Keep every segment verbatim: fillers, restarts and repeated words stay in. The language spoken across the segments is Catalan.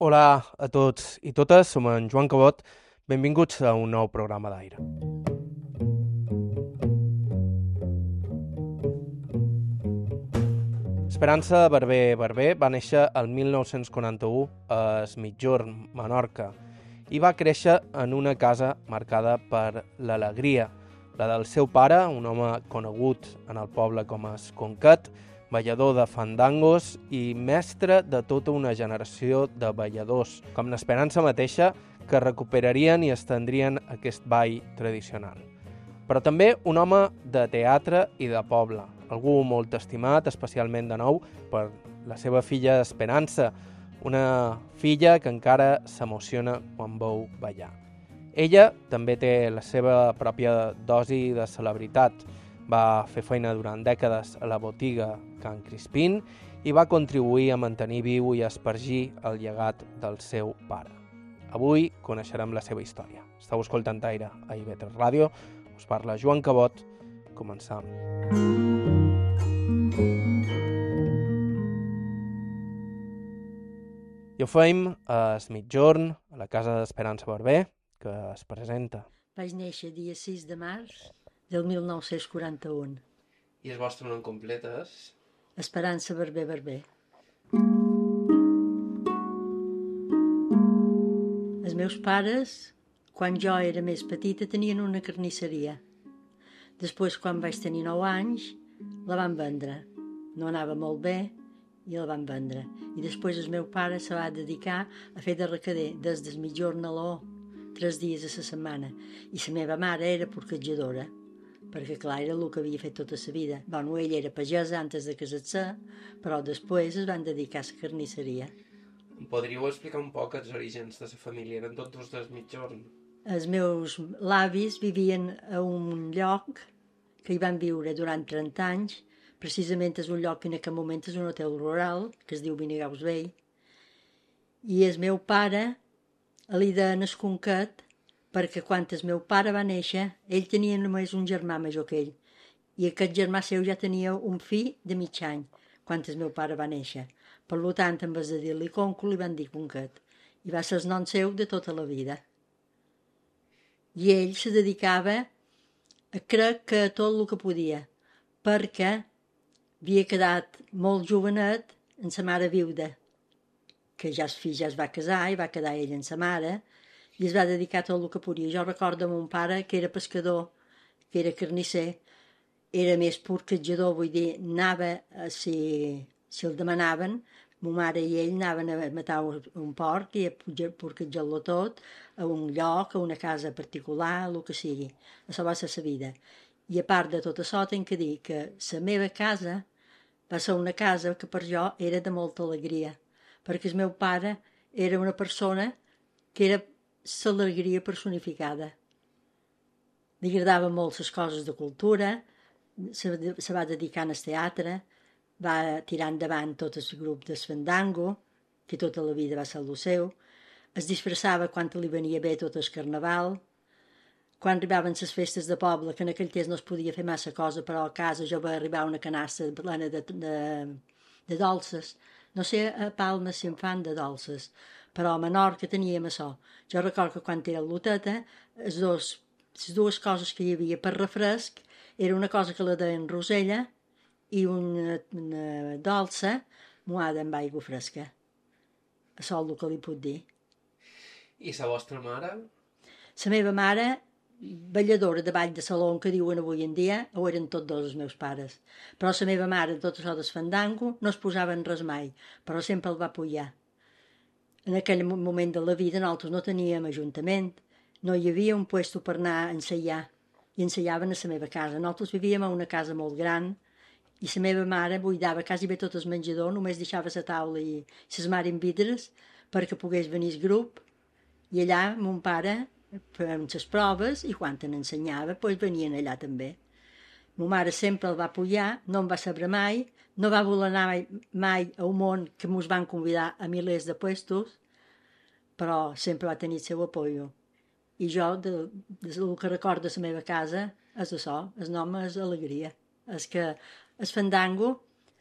Hola a tots i totes, som en Joan Cabot, benvinguts a un nou programa d'Aire. Esperança Barber Barber va néixer el mil nou-cents quaranta-u a Es Migjorn, Menorca, i va créixer en una casa marcada per l'alegria, la del seu pare, un home conegut en el poble com a Esconquet, ballador de fandangos i mestre de tota una generació de balladors, com l'Esperança mateixa, que recuperarien i estendrien aquest ball tradicional. Però també un home de teatre i de poble, algú molt estimat, especialment de nou, per la seva filla Esperança, una filla que encara s'emociona quan veu ballar. Ella també té la seva pròpia dosi de celebritat. Va fer feina durant dècades a la botiga Can Crispín i va contribuir a mantenir viu i espargir el llegat del seu pare. Avui coneixerem la seva història. Estau escoltant Aire a I V tres Ràdio. Us parla Joan Cabot. Començam. I ho fem a Es Migjorn, a la casa d'Esperança Barber, que es presenta. Vaig néixer dia sis de març del mil nou-cents quaranta-u. I el vostre nom complet és? Esperança Barber Barber. Els meus pares, quan jo era més petita, tenien una carnisseria. Després, quan vaig tenir nou anys, la van vendre. No anava molt bé i la van vendre. I després el meu pare se va dedicar a fer de recader des del mitjorn a l'o, tres dies a la setmana. I la meva mare era porquetjadora, perquè clar, era el que havia fet tota la vida. Bueno, ella era pagesa antes de casar-se, però després es van dedicar a la carnisseria. Em podríeu explicar un poc els orígens de la família? Eren tots dels Migjorn? Els meus avis vivien a un lloc que hi van viure durant trenta anys. Precisament és un lloc que en aquest moment és un hotel rural, que es diu Vinigaus Vell. I el meu pare li deien Esconquet, perquè quan el meu pare va néixer, ell tenia només un germà major que ell. I aquest germà seu ja tenia un fill de mig any, quan el meu pare va néixer. Per tant, en vez de dir-li Conco, li van dir Conquet. I va ser el nom seu de tota la vida. I ell se dedicava a crec que a tot el que podia, perquè havia quedat molt jovenet amb sa mare viuda, que ja el fill ja es va casar i va quedar ell amb sa mare, i es va dedicar a tot el que podia. Jo recordo mon pare, que era pescador, que era carnisser, era més porquetjador, vull dir, anava, a, si, si el demanaven, ma mare i ell anaven a matar un porc i a porquetjar-lo tot a un lloc, a una casa particular, el que sigui. Això va ser la vida. I a part de tot això, tinc que dir que la meva casa va ser una casa que per jo era de molta alegria, perquè el meu pare era una persona que era l'alegria personificada. Li agradaven molt les coses de cultura, se, se va dedicar al teatre, va tirar endavant tot el grup de Fandango, que tota la vida va ser el seu, es disfressava quan li venia bé tot el carnaval. Quan arribaven les festes de poble, que en aquell temps no es podia fer massa cosa, però a casa jo va arribar una canassa plena de, de, de dolces. No sé a Palma si en fan de dolces, però a Menorca teníem això. Jo recordo que quan era l'Oteta, les, dos, les dues coses que hi havia per refresc era una cosa que la deien rosella i una, una dolça moada amb aigua fresca. Això és el que li puc dir. I la vostra mare? La meva mare, balladora de ball de saló, que diuen avui en dia, ho eren tots dos els meus pares. Però la meva mare, tot això del fandango, no es posava en res mai, però sempre el va apoyar. En aquell moment de la vida nosaltres no teníem ajuntament, no hi havia un puesto per anar a ensaiar, i ensajaven a la meva casa. Nosaltres vivíem a una casa molt gran, i la meva mare buidava quasi bé tot el menjador, només deixava la taula i les mare en vidres perquè pogués venir el grup, i allà mon pare fèiem les proves i quan en ensenyava doncs venien allà també. Ma mare sempre el va apoyar, no em va saber mai, no va voler anar mai, mai a un món que ens van convidar a milers de puestos, però sempre va tenir el seu apoyo. I jo, de, de, del que recordo de la meva casa, és això, el nom és alegria. És que el fandango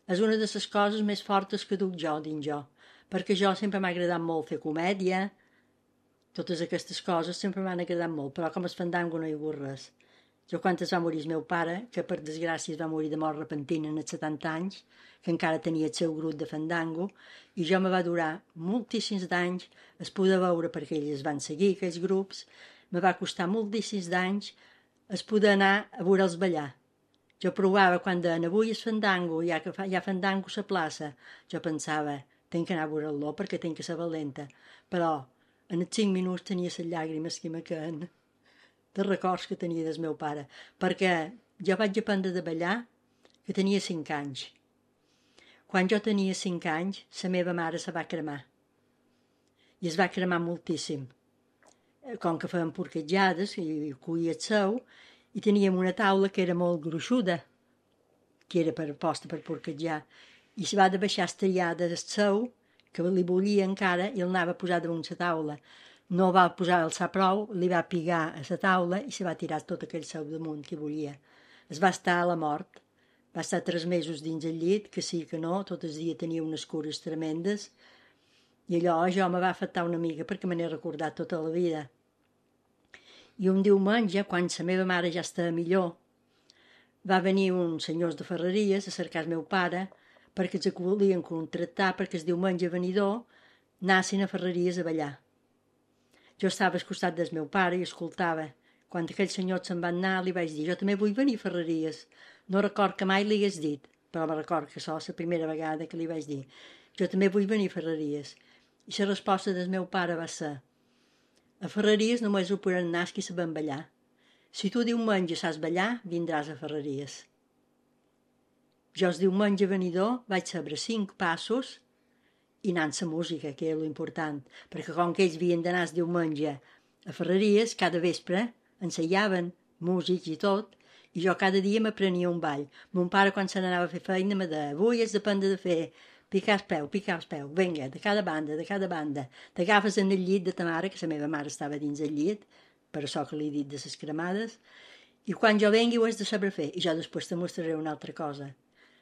és una de les coses més fortes que duc jo dins jo, perquè jo sempre m'ha agradat molt fer comèdia, totes aquestes coses sempre m'han agradat molt, però com el fandango no hi ha hagut res. Jo quan es va morir el meu pare, que per desgràcia es va morir de mort repentina als setanta anys, que encara tenia el seu grup de fandango, i jo me va durar moltíssims d'anys es poder veure, perquè ells van seguir aquells grups, me va costar moltíssims d'anys es poder anar a veure'ls ballar. Jo provava quan deien avui és fandango, ja que fa, hi ha fandango a la plaça, jo pensava, tenc que anar a veure-lo perquè tenc que ser valenta, però en els cinc minuts tenia les llàgrimes que me queden de records que tenia del meu pare, perquè jo vaig aprendre de ballar que tenia cinc anys. Quan jo tenia cinc anys, la meva mare se va cremar. I es va cremar moltíssim. Com que feien porquetjades i cuia el seu, i teníem una taula que era molt gruixuda, que era per posta per porquetjar, i se va de baixar estriada del seu, que li volia encara, i el anava a posar damunt la taula. No va posar alçar prou, li va pigar a la taula i se va tirar tot aquell seu damunt que volia. Es va estar a la mort. Va estar tres mesos dins el llit, que sí que no, tot el dia tenia unes cures tremendes, i allò jo me va afectar una mica perquè me n'he recordat tota la vida. I un diumenge, quan la meva mare ja estava millor, va venir uns senyors de Ferreries a cercar el meu pare perquè els volien contractar perquè el diumenge venidor anassin a Ferreries a ballar. Jo estava al costat del meu pare i escoltava. Quan aquells senyors se'n van anar, li vaig dir, jo també vull venir a Ferreries. No record que mai li hagués dit, però me record que això és la primera vegada que li vaig dir. Jo també vull venir a Ferreries. I la resposta del meu pare va ser, a Ferreries només ho podran anar els qui saben ballar. Si tu diumenge saps ballar, vindràs a Ferreries. Jo el diumenge venidor vaig saber cinc passos i anant la música, que era l'important, perquè com que ells havien d'anar el diumenge a Ferreries, cada vespre enseiaven músics i tot, i jo cada dia m'aprenia un ball. Mon pare, quan se n'anava a fer feina, me deia, avui has d'aprendre de fer picar el peu, picar el peu, vinga, de cada banda, de cada banda. T'agafes en el llit de ta mare, que la meva mare estava dins el llit, per això que li he dit de les cremades, i quan jo vengui ho has de saber fer, i jo després te mostraré una altra cosa.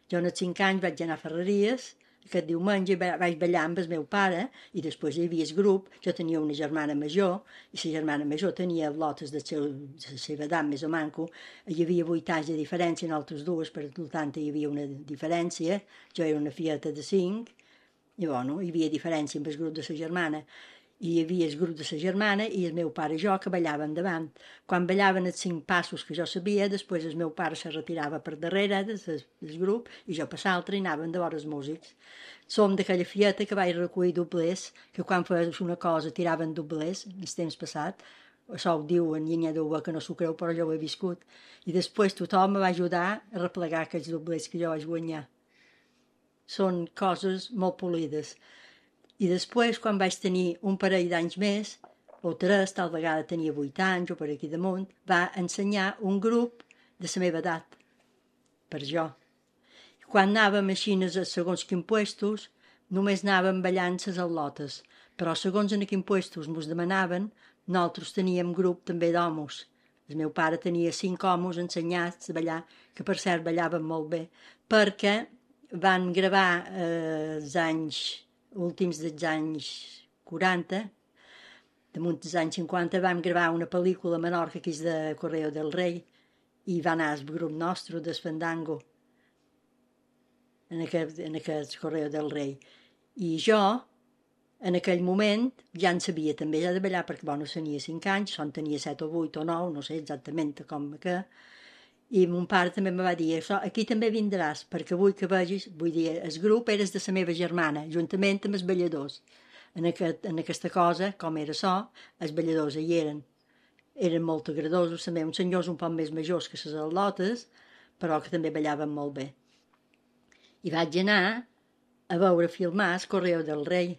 Jo als cinc anys vaig anar a Ferreries, aquest diumenge vaig ballar amb el meu pare i després hi havia el grup, jo tenia una germana major i la germana major tenia lotes de la seva edat més o manco, hi havia vuit anys de diferència en altres dues, per tant hi havia una diferència, jo era una fieta de cinc i bueno, hi havia diferència amb el grup de la germana. I hi havia el grup de la germana i el meu pare i jo que ballaven davant. Quan ballaven els cinc passos que jo sabia, després el meu pare se retirava per darrere del, del grup i jo per l'altre i anaven de vora els músics. Som d'aquella fieta que vaig recollir doblers, que quan feies una cosa tiraven doblers, el temps passat. Això ho diuen i n'hi ha d'uva que no s'ho creu, però jo ho he viscut. I després tothom me va ajudar a replegar aquells doblers que jo vaig guanyar. Són coses molt polides. I després, quan vaig tenir un parell d'anys més, o tres, tal vegada tenia vuit anys o per aquí damunt, va ensenyar un grup de la meva edat, per jo. Quan anàvem així a segons quins puestos, només anàvem ballant les al·lotes, però segons en quins puestos mos demanaven, nosaltres teníem grup també d'homes. El meu pare tenia cinc homes ensenyats a ballar, que per cert ballaven molt bé, perquè van gravar eh, els anys últims dels anys quaranta, damunt dels anys cinquanta, vam gravar una pel·lícula a Menorca que és de Correo del Rei i va anar el grup nostre del Fandango en aquest, en aquest Correo del Rei. I jo, en aquell moment, ja en sabia també ja de ballar perquè bueno, tenia cinc anys, son tenia set o vuit o nou, no sé exactament com que, i mon pare també me va dir, això, aquí també vindràs, perquè vull que vegis, vull dir, el grup eres de la meva germana, juntament amb els balladors. En, aquest, en aquesta cosa, com era això, els balladors hi eren. Eren molt agradosos, també, uns senyors un poc més majors que les al·lotes, però que també ballaven molt bé. I vaig anar a veure filmar el Correo del Rei.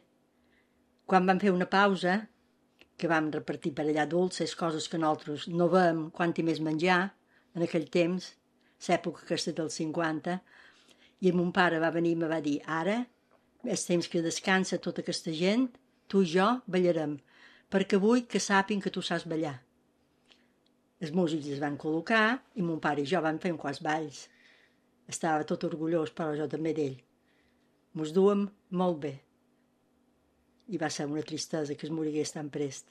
Quan vam fer una pausa, que vam repartir per allà dolces, coses que nosaltres no vam, quant i més menjar, en aquell temps, l'època aquesta del cinquanta, i mon pare va venir i me va dir, ara, és temps que descansa tota aquesta gent, tu i jo ballarem, perquè vull que sàpin que tu saps ballar. Els músics es van col·locar i mon pare i jo vam fer un quants balls. Estava tot orgullós, però jo també d'ell. Mos duem molt bé. i va ser una tristesa que es morigués tan prest.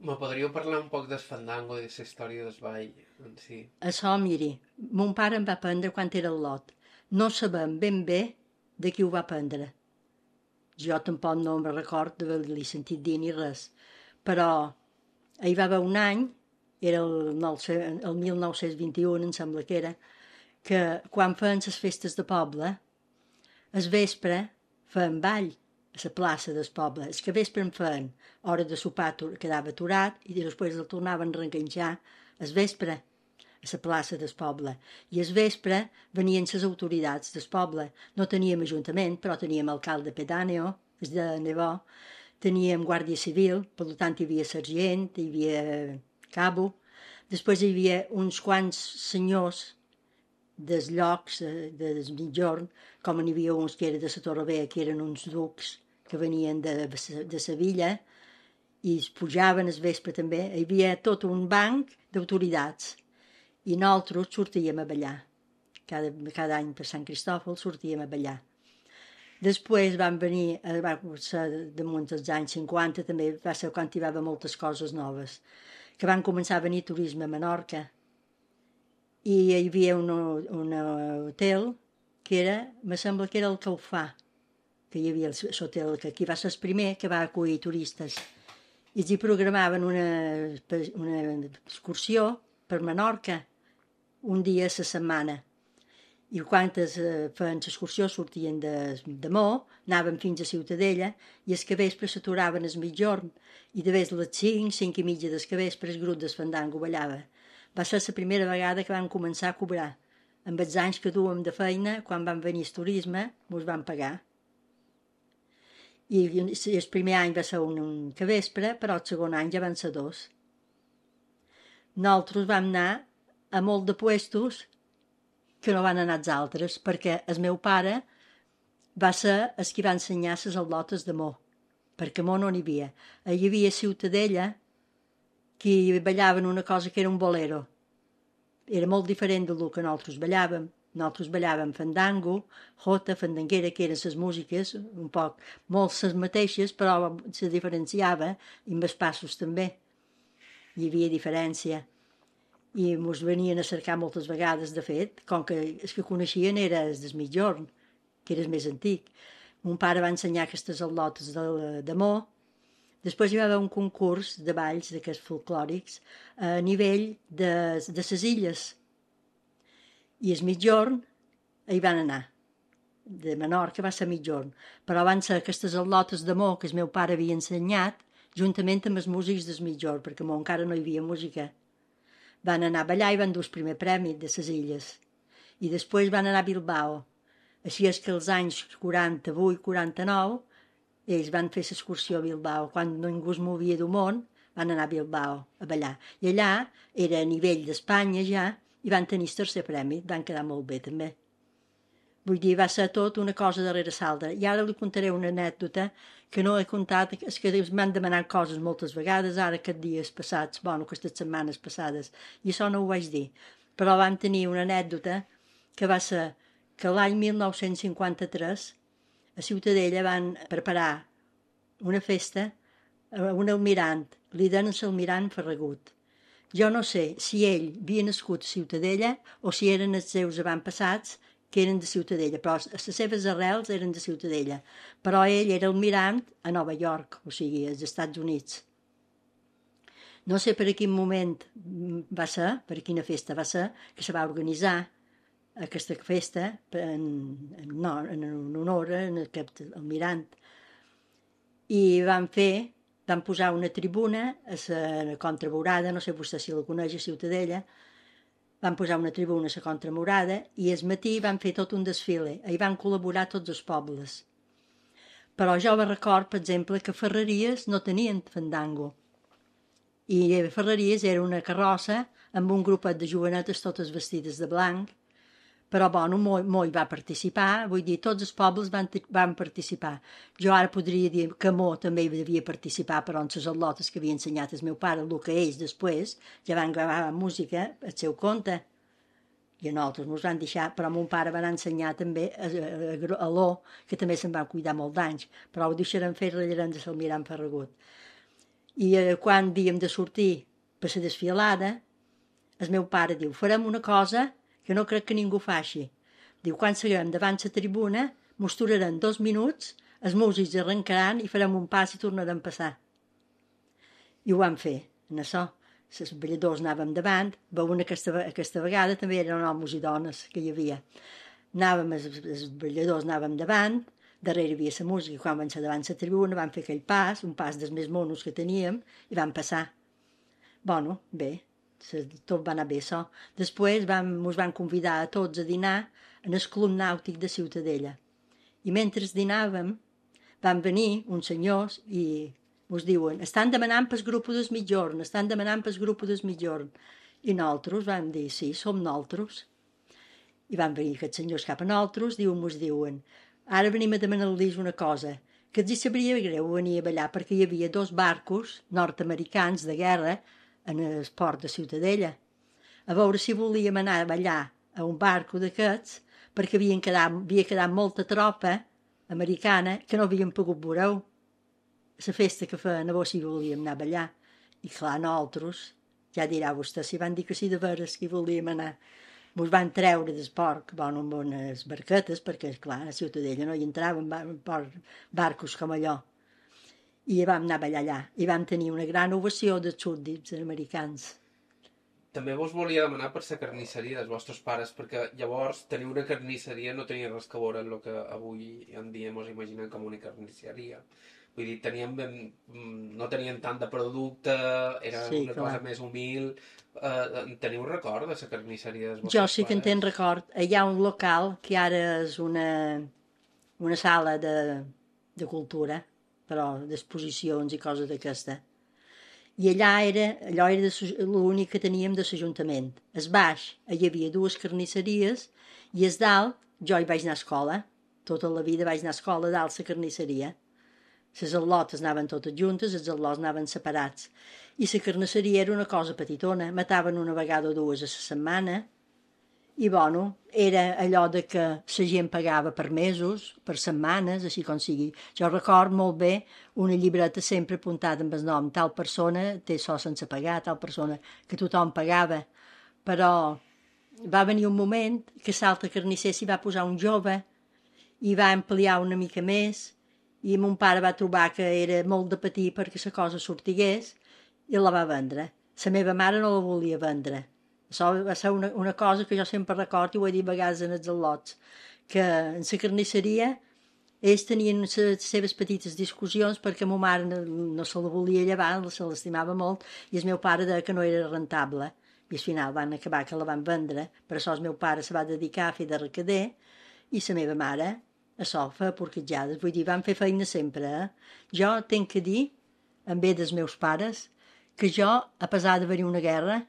Me podríeu parlar un poc del fandango i de la història del ball en si? Això, miri, mon pare em va prendre quan era al lot. No sabem ben bé de qui ho va prendre. Jo tampoc no me'n record d'haver-li sentit dir ni res. Però hi va haver un any, era el, el mil nou-cents vint-i-u, em sembla que era, que quan feien les festes de poble, al vespre feien ball a la plaça del poble. És que a vespre en feien hora de sopar, quedava aturat i després el tornaven a reenganxar al vespre a la plaça del poble. I al vespre venien les autoritats del poble. No teníem ajuntament, però teníem alcalde pedáneo, és de Nevó, teníem guàrdia civil, per tant hi havia sergent, hi havia cabo. Després hi havia uns quants senyors dels llocs, dels mitjorn, com n'hi havia uns que eren de la Torre, que eren uns ducs que venien de, de Sevilla, i es pujaven al vespre també. Hi havia tot un banc d'autoritats. I nosaltres sortíem a ballar. Cada, cada any per Sant Cristòfol sortíem a ballar. Després van venir, va ser damunt dels anys cinquanta, també va ser quan hi va haver moltes coses noves, que van començar a venir turisme a Menorca. I hi havia un, un hotel que era, me sembla que era el Calfà, que hi havia l'hotel, que aquí va ser el primer que va acollir turistes. I els hi programaven una, una excursió per Menorca, un dia a la setmana. I quan es feien l'excursió sortien de, de Mo, anaven fins a Ciutadella, i els que vespre s'aturaven al mitjorn, i de vegades les cinc, cinc i mitja del que vespre el grup del fandango ballava. Va ser la primera vegada que vam començar a cobrar. Amb els anys que duem de feina, quan van venir el turisme, mos van pagar. I el primer any va ser un, un que vespre, però el segon any ja van ser dos. Nosaltres vam anar a molt de puestos que no van anar els altres, perquè el meu pare va ser el que va ensenyar les al·lotes de Mo, perquè a Mo no n'hi havia. Hi havia a Ciutadella que ballaven una cosa que era un bolero. Era molt diferent del que nosaltres ballàvem. Nosaltres ballàvem fandango, jota, fandanguera, que eren les músiques, un poc, molt les mateixes, però se diferenciava, i amb els passos també. Hi havia diferència. I ens venien a cercar moltes vegades, de fet, com que els que coneixien era el del mitjorn, que era el més antic. Mon pare va ensenyar aquestes al·lotes de, de Mo. Després hi va haver un concurs de balls, d'aquests folclòrics, a nivell de, de les illes. I el mitjorn hi van anar. De Menorca va ser mitjorn. Però van ser aquestes al·lotes de Mo que el meu pare havia ensenyat, juntament amb els músics del mitjorn, perquè a Mo encara no hi havia música. Van anar a ballar i van dur el primer premi de les illes. I després van anar a Bilbao. Així és que als anys quaranta-vuit quaranta-nou ells van fer l'excursió a Bilbao. Quan ningú es movia del món, van anar a Bilbao a ballar. I allà era a nivell d'Espanya ja, i van tenir el tercer premi. Van quedar molt bé també. Vull dir, va ser tot una cosa darrere l'altra. I ara li contaré una anècdota que no he contat, és que m'han demanat coses moltes vegades, ara aquests dies passats, bueno, aquestes setmanes passades, i això no ho vaig dir. Però vam tenir una anècdota que va ser que l'any mil nou-cents cinquanta-tres a Ciutadella van preparar una festa a un almirant, li deien l'almirant Ferragut. Jo no sé si ell havia nascut a Ciutadella o si eren els seus avantpassats que eren de Ciutadella, però les seves arrels eren de Ciutadella. Però ell era almirant a Nova York, o sigui, als Estats Units. No sé per a quin moment va ser, per a quina festa va ser, que se va organitzar aquesta festa en, en, no, en honor a aquest almirant. I van fer, van posar una tribuna a la Contramurada, no sé vostè si la coneix, a Ciutadella, van posar una tribuna a la Contramurada i al matí van fer tot un desfile. Hi van col·laborar tots els pobles. Però jo me record, per exemple, que Ferreries no tenien fandango. I Ferreries era una carrossa amb un grupet de jovenetes totes vestides de blanc. Però, bueno, Mo, Mo hi va participar, vull dir, tots els pobles van, van participar. Jo ara podria dir que Mo també hi devia participar, però en les al·lotes que havia ensenyat el meu pare, el que ells després ja van gravar música al seu compte. I a nosaltres ens van deixar, però mon pare va anar a ensenyar també a, a, a, a l'O, que també se'n van cuidar molt d'anys, però ho deixarem fer, ratllarem de s'almirant Ferragut. I eh, quan havíem de sortir per la desfilada, el meu pare diu, farem una cosa que no crec que ningú faci. Diu, quan seguirem davant la tribuna, mos durarem dos minuts, els músics arrencaran i farem un pas i tornarem a passar. I ho vam fer, en això. Els balladors anàvem davant, veuen aquesta, aquesta vegada també eren homes i dones que hi havia. Anàvem, els, els balladors anàvem davant, darrere hi havia la música, quan vam ser davant la tribuna vam fer aquell pas, un pas dels més monos que teníem, i vam passar. Bueno, bé, tot va anar bé, això. Després vam, ens van convidar a tots a dinar en el Club Nàutic de Ciutadella. I mentre dinàvem, van venir uns senyors i us diuen, estan demanant pel grup del mitjorn, estan demanant pel grup del mitjorn. I nosaltres vam dir, sí, som nosaltres. I van venir aquests senyors cap a nosaltres, diuen, us diuen, ara venim a demanar-los una cosa, que els hi sabria greu venir a ballar perquè hi havia dos barcos nord-americans de guerra en el port de Ciutadella. A veure si volíem anar a ballar a un barco d'aquests perquè havien quedat, havia quedat molta tropa americana que no havien pogut veure la festa que feien, a veure si volíem anar a ballar. I clar, nosaltres, ja dirà vostè, si van dir que sí de veres que hi volíem anar. Ens van treure del port, bueno, amb unes barquetes, perquè, clar, a Ciutadella no hi entraven barcos com allò. I vam anar a ballar allà. I vam tenir una gran ovació dels súbdits americans. També vos volia demanar per la carnisseria dels vostres pares, perquè llavors tenir una carnisseria no tenia res que veure amb el que avui en dia ens imaginem com una carnisseria. Vull dir, teníem ben, no tenien tant de producte, era sí, una clar. Cosa més humil. Uh, teniu record de la carnisseria dels vostres pares? Jo sí que en tenc record. Hi ha un local que ara és una, una sala de, de cultura, però d'exposicions i coses d'aquesta. I allà era, allò era l'únic que teníem de l'Ajuntament. Es baix, hi havia dues carnisseries, i es dalt, jo hi vaig anar a escola, tota la vida vaig anar a escola dalt la carnisseria. Les al·lotes anaven totes juntes, els al·lots anaven separats. I la carnisseria era una cosa petitona, mataven una vegada o dues a la setmana, i bueno, era allò de que la gent pagava per mesos, per setmanes, així com sigui. Jo record molt bé una llibreta sempre apuntada amb el nom, tal persona té això sense pagar, tal persona que tothom pagava. Però va venir un moment que l'altre carnisser s'hi va posar un jove i va ampliar una mica més i mon pare va trobar que era molt de patir perquè la cosa sortigués i la va vendre. La meva mare no la volia vendre. Això va ser una, una cosa que jo sempre recordo i ho he dit a vegades en els al·lots, que en la carnisseria ells tenien les seves petites discussions perquè ma mare no, no se la volia llevar, se l'estimava molt, i el meu pare deia que no era rentable. I al final van acabar que la van vendre, per això el meu pare se va dedicar a fer de recader i la meva mare a això, feia porquetjades. Vull dir, van fer feina sempre. Eh? Jo tenc que dir, en bé dels meus pares, que jo, a pesar d'haver-hi una guerra,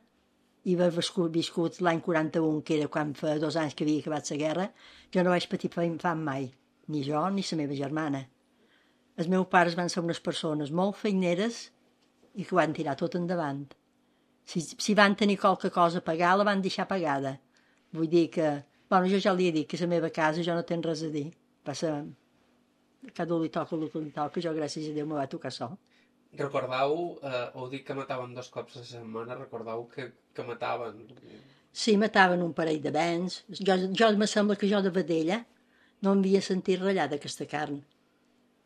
i haver viscut l'any quaranta-un, que era quan fa dos anys que havia acabat la guerra, jo no vaig patir fam mai, ni jo ni la meva germana. Els meus pares van ser unes persones molt feineres i que van tirar tot endavant. Si, si van tenir qualque cosa a pagar, la van deixar pagada. Vull dir que... Bueno, jo ja li he dit que a la meva casa jo no tenc res a dir. Va ser... Cada un li toca el que li toca, jo gràcies a Déu me va tocar sol. Recordau, eh, heu dit que mataven dos cops a la setmana, recordau que, que mataven... Sí, mataven un parell de bens. Jo, jo me sembla que jo de vedella no em havia sentit ratllar d'aquesta carn.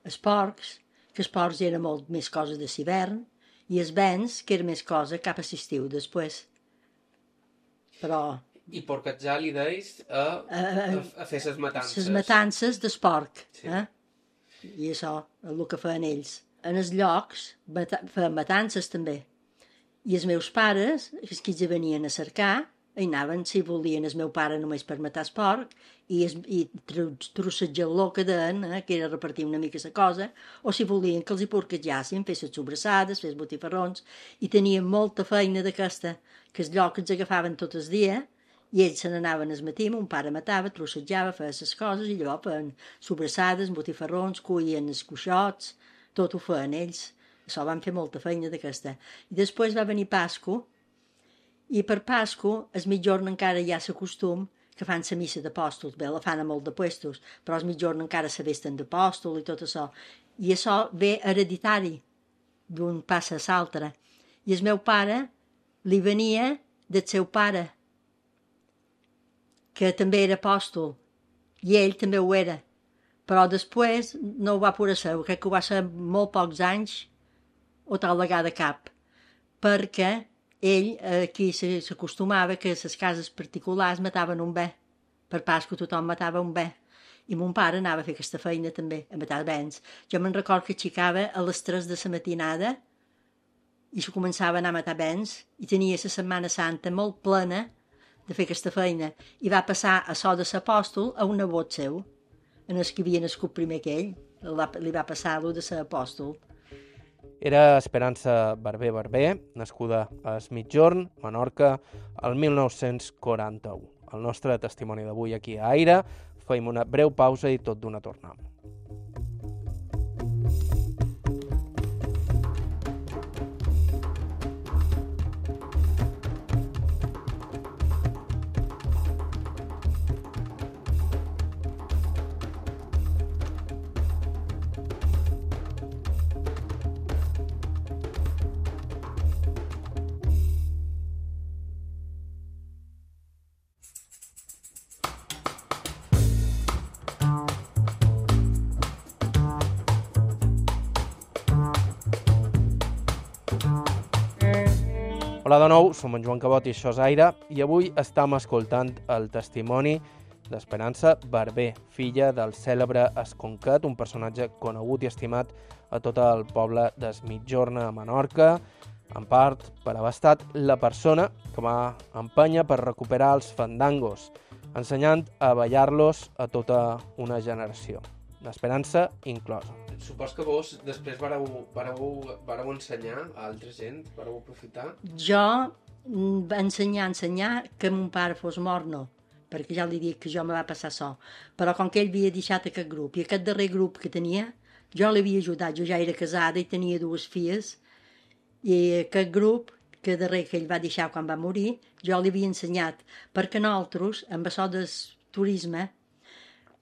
Els porcs, que els porcs eren molt més cosa de l'hivern, i els bens, que era més cosa cap a l'estiu després. Però... I porquetjar li deis a, a, a, a fer les matances. Les matances del porc. Sí. Eh? I això, el que feien ells. En els llocs feien matances també. I els meus pares, els que hi venien a cercar, hi anaven, si volien, el meu pare només per matar el porc, i, es, i trossejar-lo que deien, eh, que era repartir una mica la cosa, o si volien que els hi porquetjassin, fer les sobrassades, fer els botifarrons, i tenien molta feina d'aquesta, que els llocs els agafaven tot el dia, i ells se n'anaven al matí, mon pare matava, trossejava, feia les coses, i llavors feien sobrassades, botifarrons, cuien els cuixots, tot ho feien ells. Això van fer molta feina d'aquesta. I després va venir Pasco I per Pasco, el mitjorn encara hi ha la costum que fan la missa d'apòstols. Bé, la fan a molt de puestos, però el mitjorn encara se vesten d'apòstol i tot això. I això ve hereditari, d'un passa a l'altre. I el meu pare li venia del seu pare, que també era apòstol, i ell també ho era. Però després no ho va poder ser, crec que ho va ser molt pocs anys o tal vegada cap, perquè ell aquí s'acostumava que les cases particulars mataven un bé. Per Pasqua tothom matava un bé. I mon pare anava a fer aquesta feina també, a matar bens. Jo me'n record que aixecava a les tres de la matinada i se començava a anar a matar bens i tenia la Setmana Santa molt plena de fer aquesta feina. I va passar a so de l'apòstol a un nebot seu, en els que havia nascut primer que ell. Li va passar allò de ser apòstol. Era Esperança Barber Barber, nascuda a Es Migjorn, Menorca, el mil nou-cents quaranta-u. El nostre testimoni d'avui aquí a Aire. Fem una breu pausa i tot d'una tornem. Hola de nou, som en Joan Cabot i això és Aire, i avui estem escoltant el testimoni d'Esperança Barber, filla del cèlebre Esconquet, un personatge conegut i estimat a tot el poble d'Es Migjorn a Menorca, en part per haver estat la persona que va empènyer per recuperar els fandangos, ensenyant a ballar-los a tota una generació, d'Esperança inclosa. Supos que vos després vareu, vareu, vareu ensenyar a altra gent, vareu aprofitar? Jo va ensenyar, ensenyar que mon pare fos mort, no, perquè ja li dic que jo me va passar so. Però com que ell havia deixat aquest grup, i aquest darrer grup que tenia, jo l'havia ajudat, jo ja era casada i tenia dues filles, i aquest grup, que darrer que ell va deixar quan va morir, jo li havia ensenyat, perquè nosaltres, amb això del turisme,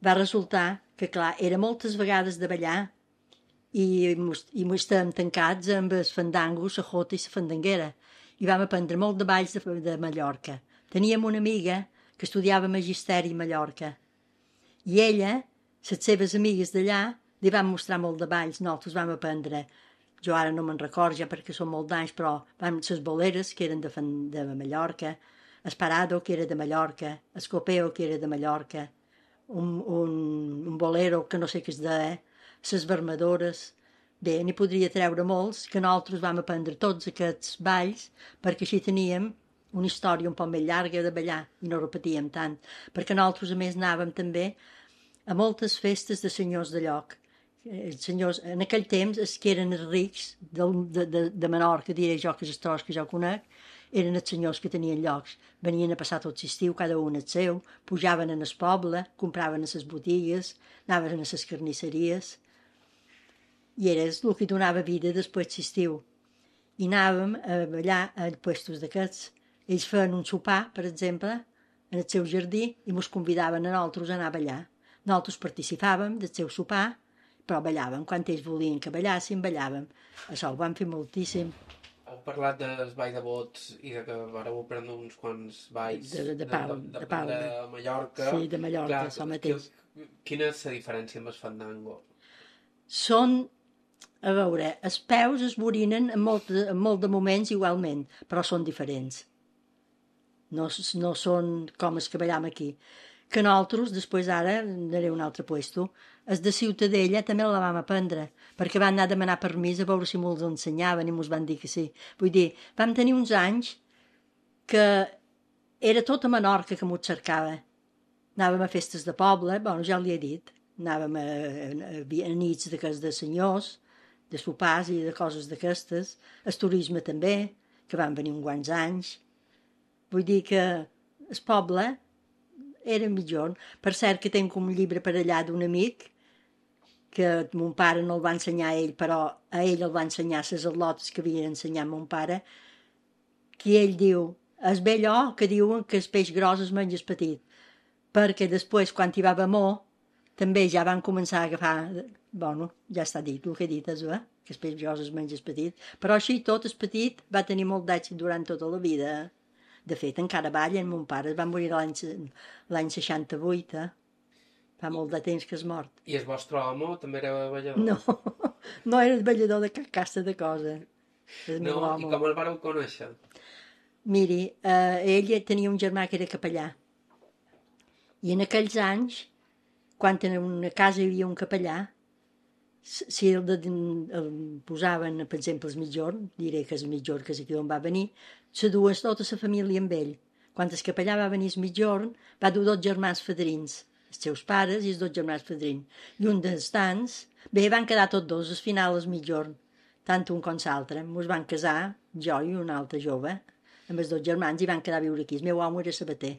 va resultar que, clar, era moltes vegades de ballar i, i estàvem tancats amb els fandangos, la jota i la fandanguera. I vam aprendre molt de balls de, de Mallorca. Teníem una amiga que estudiava magisteri a Mallorca. I ella, les seves amigues d'allà, li van mostrar molt de balls. Nosaltres vam aprendre, jo ara no me'n record ja perquè són molt d'anys, però vam les boleres, que eren de, de Mallorca, el parado, que era de Mallorca, el copeo, que era de Mallorca, un, un, un bolero, que no sé què és de, eh? Les vermadores. Bé, n'hi podria treure molts, que nosaltres vam aprendre tots aquests balls, perquè així teníem una història un poc més llarga de ballar, i no repetíem tant. Perquè nosaltres, a més, anàvem també a moltes festes de senyors de lloc. Els senyors, en aquell temps, els que eren els rics de, de, de, de Menorca, diré jo, que és els tros que jo conec, eren els senyors que tenien llocs. Venien a passar tot l'estiu, cada un el seu, pujaven en el poble, compraven a les botigues, anaven a les carnisseries, i era el que donava vida després l'estiu. I anàvem a ballar a puestos d'aquests. Ells feien un sopar, per exemple, en el seu jardí, i ens convidaven a nosaltres a anar a ballar. Nosaltres participàvem del seu sopar, però ballàvem. Quan ells volien que ballàssim, ballàvem. Això ho vam fer moltíssim. Heu parlat dels balls de bots i de que vareu aprendre uns quants balls de, de, de, Palma, de, de, de, Palma. de Mallorca. Sí, de Mallorca, clar, això mateix. Quina és la diferència amb el fandango? Són, a veure, els peus es borinen en molt, en molt de moments igualment, però són diferents. No, no són com els que ballam aquí. Que nosaltres, després ara, anaré a un altre puesto, els de Ciutadella també la vam aprendre, perquè van anar a demanar permís a veure si me'ls ensenyaven i mos van dir que sí. Vull dir, vam tenir uns anys que era tot a Menorca que m'ho cercava. Anàvem a festes de poble, bueno, ja li he dit, anàvem a, a, a nits de cas de senyors, de sopars i de coses d'aquestes, el turisme també, que van venir uns quants anys. Vull dir que el poble era millor. Per cert que tinc un llibre per allà d'un amic que mon pare no el va ensenyar a ell, però a ell el va ensenyar les al·lotes que havia ensenyat mon pare, que ell diu És bé allò que diuen que el peix gros es menja el petit, perquè després, quan hi va haver amor, també ja van començar a agafar... Bueno, ja està dit, el que he dit és, eh? Que el peix gros es menja el petit. Però així tot, el petit va tenir molt d'èxit durant tota la vida. De fet, encara ballen, mon pare es va morir l'any seixanta-vuit, eh? Fa molt de temps que és mort. I el vostre home també era ballador? No, no era ballador de cap casta de cosa. No, i com el vareu conèixer? Miri, eh, ell tenia un germà que era capellà. I en aquells anys, quan en una casa hi havia un capellà, si el, de, el posaven, per exemple, el mitjorn, diré que és el mitjorn, que és aquí on va venir, se dues tota la família amb ell. Quan el capellà va venir el mitjorn, va dur dos germans fadrins, els seus pares i els dos germans fadrins. I un dels tants, bé, van quedar tots dos, al final el mitjorn, tant un com l'altre. Ens van casar, jo i un altre jove, amb els dos germans, i van quedar a viure aquí. El meu home era sabater.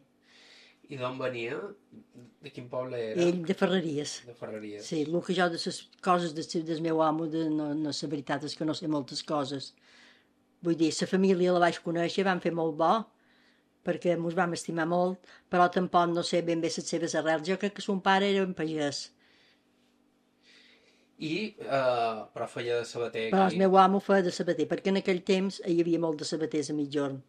I d'on venia? De quin poble era? Ell de Ferreries. De Ferreries. Sí, el que jo de les coses de, del meu home, de, no, no, la veritat és que no sé moltes coses. Vull dir, la família la vaig conèixer, van fer molt bo, perquè ens vam estimar molt, però tampoc no sé ben bé les seves arrels. Jo crec que son pare era un pagès. I, uh, però feia de sabater aquí? Però el meu home feia de sabater, perquè en aquell temps hi havia molt de sabaters a mitjorn.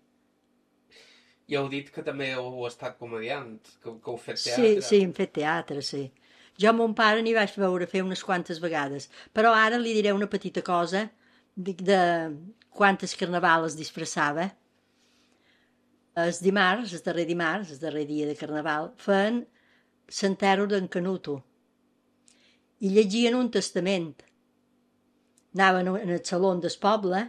I heu dit que també heu estat comediant, que, que heu fet teatre. teatre. Sí, sí, hem fet teatre, sí. Jo mon pare n'hi vaig veure fer unes quantes vegades, però ara li diré una petita cosa de, de quantes carnaval es disfressava. El dimarts, el darrer dimarts, el darrer dia de carnaval, feien l'enterro d'en Canuto i llegien un testament. Anaven en el saló del poble,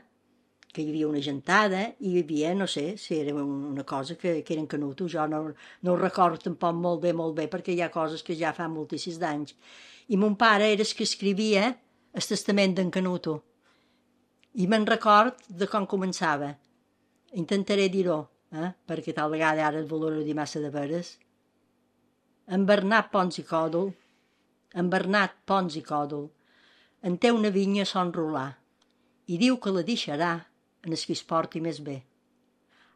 que hi havia una gentada, i hi havia, no sé, si era una cosa que, que eren Canuto, jo no, no ho recordo tampoc molt bé, molt bé, perquè hi ha coses que ja fa moltíssims d'anys. I mon pare era el que escrivia el testament d'en Canuto. I me'n record de com començava. Intentaré dir-ho, eh? Perquè tal vegada ara el valoro dir massa de veres. En Bernat Pons i Còdol, en Bernat Pons i Còdol, en té una vinya a Son Rolar, i diu que la deixarà en el que es porti més bé.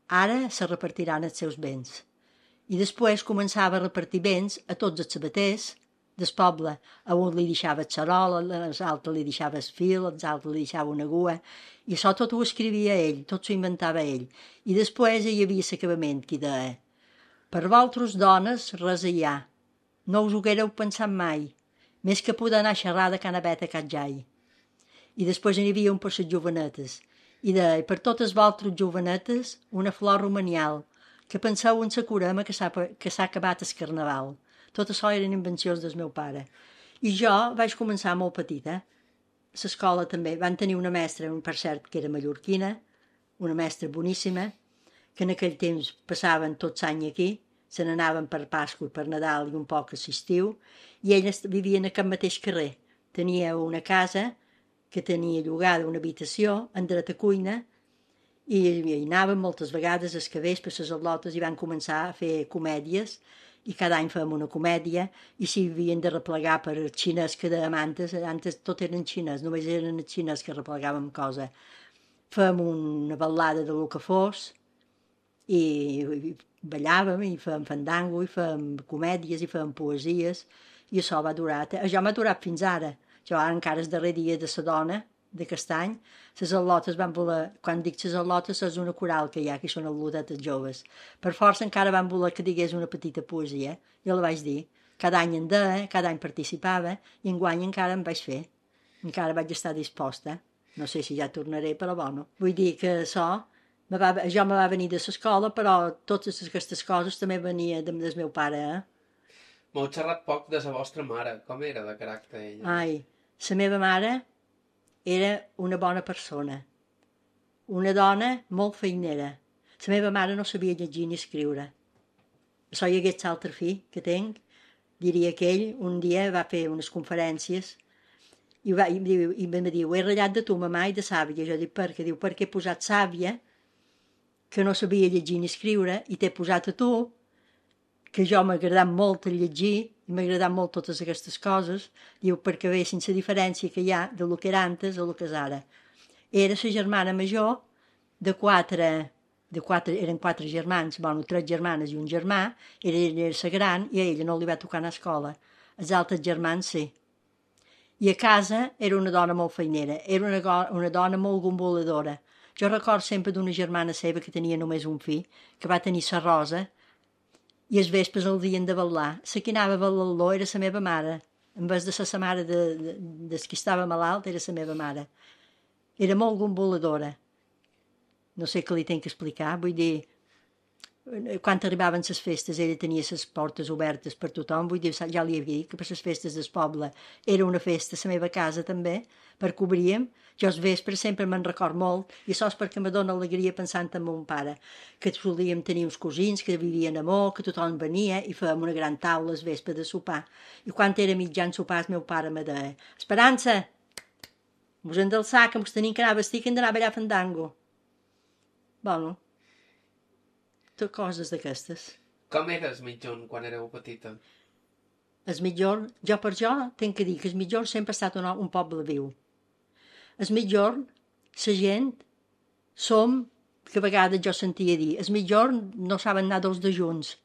Ara se repartiran els seus béns. I després començava a repartir béns a tots els sabaters del poble. A un li deixava el xarol, als altres li deixava el fil, als altres li deixava una gua, i això tot ho escrivia ell, tot s'ho inventava ell. I després hi havia l'acabament, que deia: per vosaltres dones res hi ha, no us ho haguéreu pensat mai, més que poder anar a xerrar de canabeta a Catjai. I després hi havia un per les jovenetes, i deia: per totes vosaltres jovenetes, una flor romanial, que penseu en la curema que s'ha acabat el carnaval. Tot això eren invencions del meu pare. I jo vaig començar molt petita. A l'escola també van tenir una mestra, per cert, que era mallorquina, una mestra boníssima, que en aquell temps passaven tots l'any aquí, se n'anaven per Pasqua i per Nadal i un poc a l'estiu, i elles vivien a aquest mateix carrer. Tenia una casa que tenia llogada una habitació en dreta cuina, i hi anaven moltes vegades els cabells per les al·lotes i van començar a fer comèdies, i cada any fèiem una comèdia, i si havien de replegar per el xinès que dèiem antes, antes tot eren xinès, només eren els xinès que replegàvem cosa. Fèiem una ballada de lo que fos, i, i ballàvem, i fèiem fandango, i fèiem comèdies, i fèiem poesies, i això va durar, això m'ha durat fins ara. Jo ara encara el darrer dia de la dona, d'aquest any, les al·lotes van voler, quan dic les al·lotes és una coral que hi ha, que són al·lotetes joves. Per força encara van voler que digués una petita poesia, jo la vaig dir. Cada any en deia, cada any participava, i enguany encara em vaig fer. Encara vaig estar disposta. No sé si ja tornaré, però bueno. Vull dir que això, me va, jo me va venir de l'escola, però totes aquestes coses també venia del meu pare, eh? M'heu xerrat poc de la vostra mare. Com era de caràcter ella? Ai, la meva mare era una bona persona, una dona molt feinera. La meva mare no sabia llegir ni escriure. Això hi hagués l'altre fill que tenc, diria que ell un dia va fer unes conferències i, va, i, diu, i em diu: he ratllat de tu, mamà, i de sàvia. Jo dic: per què? Diu: perquè he posat sàvia, que no sabia llegir ni escriure, i t'he posat a tu, que jo m'ha agradat molt el llegir, i m'ha agradat molt totes aquestes coses, diu, perquè veiem la diferència que hi ha de lo que era antes a lo que és ara. Era la germana major de quatre de quatre, eren quatre germans, bueno, tres germanes i un germà, ella era la gran i a ella no li va tocar anar a escola. Els altres germans sí. I a casa era una dona molt feinera, era una, una dona molt gomboladora. Jo record sempre d'una germana seva que tenia només un fill, que va tenir sa Rosa, i els vespres el dien de ballar. La que anava a ballar era la meva mare. En vez de ser la mare de, de, de qui estava malalt, era la meva mare. Era molt gomboladora. No sé què li tinc que explicar, vull dir, quan arribaven les festes ella tenia les portes obertes per tothom, vull dir, ja li havia dit que per les festes del poble era una festa, la meva casa també, perquè obríem, jo els vespres sempre me'n record molt, i això és perquè me dóna alegria pensant en mon pare, que solíem tenir uns cosins que vivien a Mó, que tothom venia i fèiem una gran taula els vespres de sopar, i quan era mitjan sopar el meu pare me deia: Esperança, vos hem d'alçar que mos tenim que anar a vestir que hem d'anar a ballar fandango. Bueno, tot coses d'aquestes. Com eres mitjon quan éreu petita? El mitjorn, jo per jo, tinc que dir que el mitjorn sempre ha estat un, un poble viu. El mitjorn, la gent, som, que a vegades jo sentia dir, el mitjorn no saben anar dos de junts,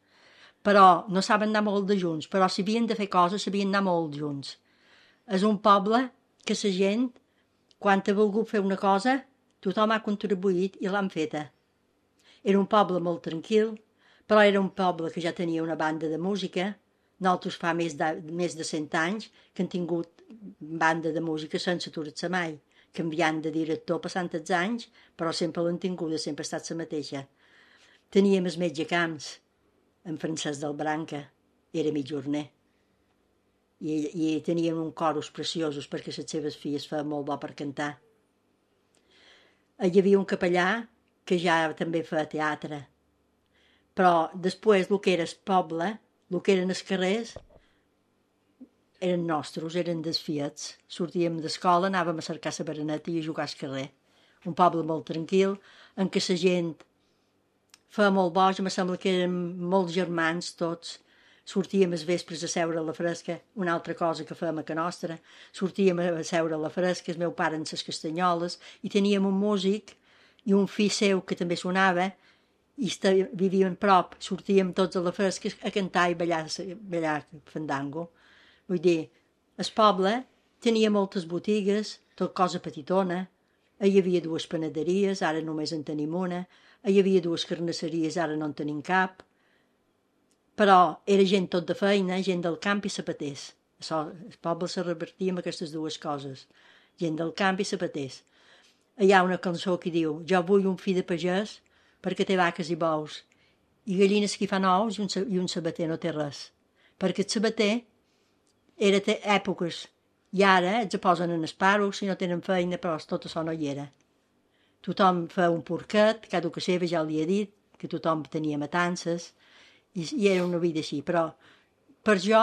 però no saben anar molt de junts, però si havien de fer coses, sabien anar molt junts. És un poble que la gent, quan ha volgut fer una cosa, tothom ha contribuït i l'han feta. Era un poble molt tranquil, però era un poble que ja tenia una banda de música. Nosaltres fa més de, més de cent anys que han tingut banda de música sense aturar-se mai, canviant de director passant els anys, però sempre l'han tinguda, sempre ha estat la mateixa. Teníem el metge Camps, en Francesc del Branca, era mitjorner. I, i tenien un coros preciosos perquè les seves filles feien molt bo per cantar. Hi havia un capellà que ja també feia teatre. Però després el que era el poble, el que eren els carrers, eren nostres, eren desfiats. Sortíem d'escola, anàvem a cercar la bereneta i a jugar al carrer. Un poble molt tranquil, en què la gent feia molt boig, em sembla que érem molts germans tots. Sortíem els vespres a seure a la fresca, una altra cosa que fèiem a ca nostra. Sortíem a seure a la fresca, el meu pare en les castanyoles, i teníem un músic i un fill seu que també sonava, i vivien prop, sortíem tots a la fresca a cantar i ballar, ballar fandango. Vull dir, el poble tenia moltes botigues, tot cosa petitona, hi havia dues panaderies, ara només en tenim una, hi havia dues carnisseries, ara no en tenim cap, però era gent tot de feina, gent del camp i sapaters. Això, el poble se revertia amb aquestes dues coses, gent del camp i sapaters. Hi ha una cançó que diu: jo vull un fill de pagès perquè té vaques i bous, i gallines que hi fan ous i un, i un sabater no té res. Perquè el sabater era té èpoques, i ara els posen en esparo si no tenen feina, però tot això no hi era. Tothom feia un porquet, cada que seva ja li he dit, que tothom tenia matances, i, i era una vida així, però per jo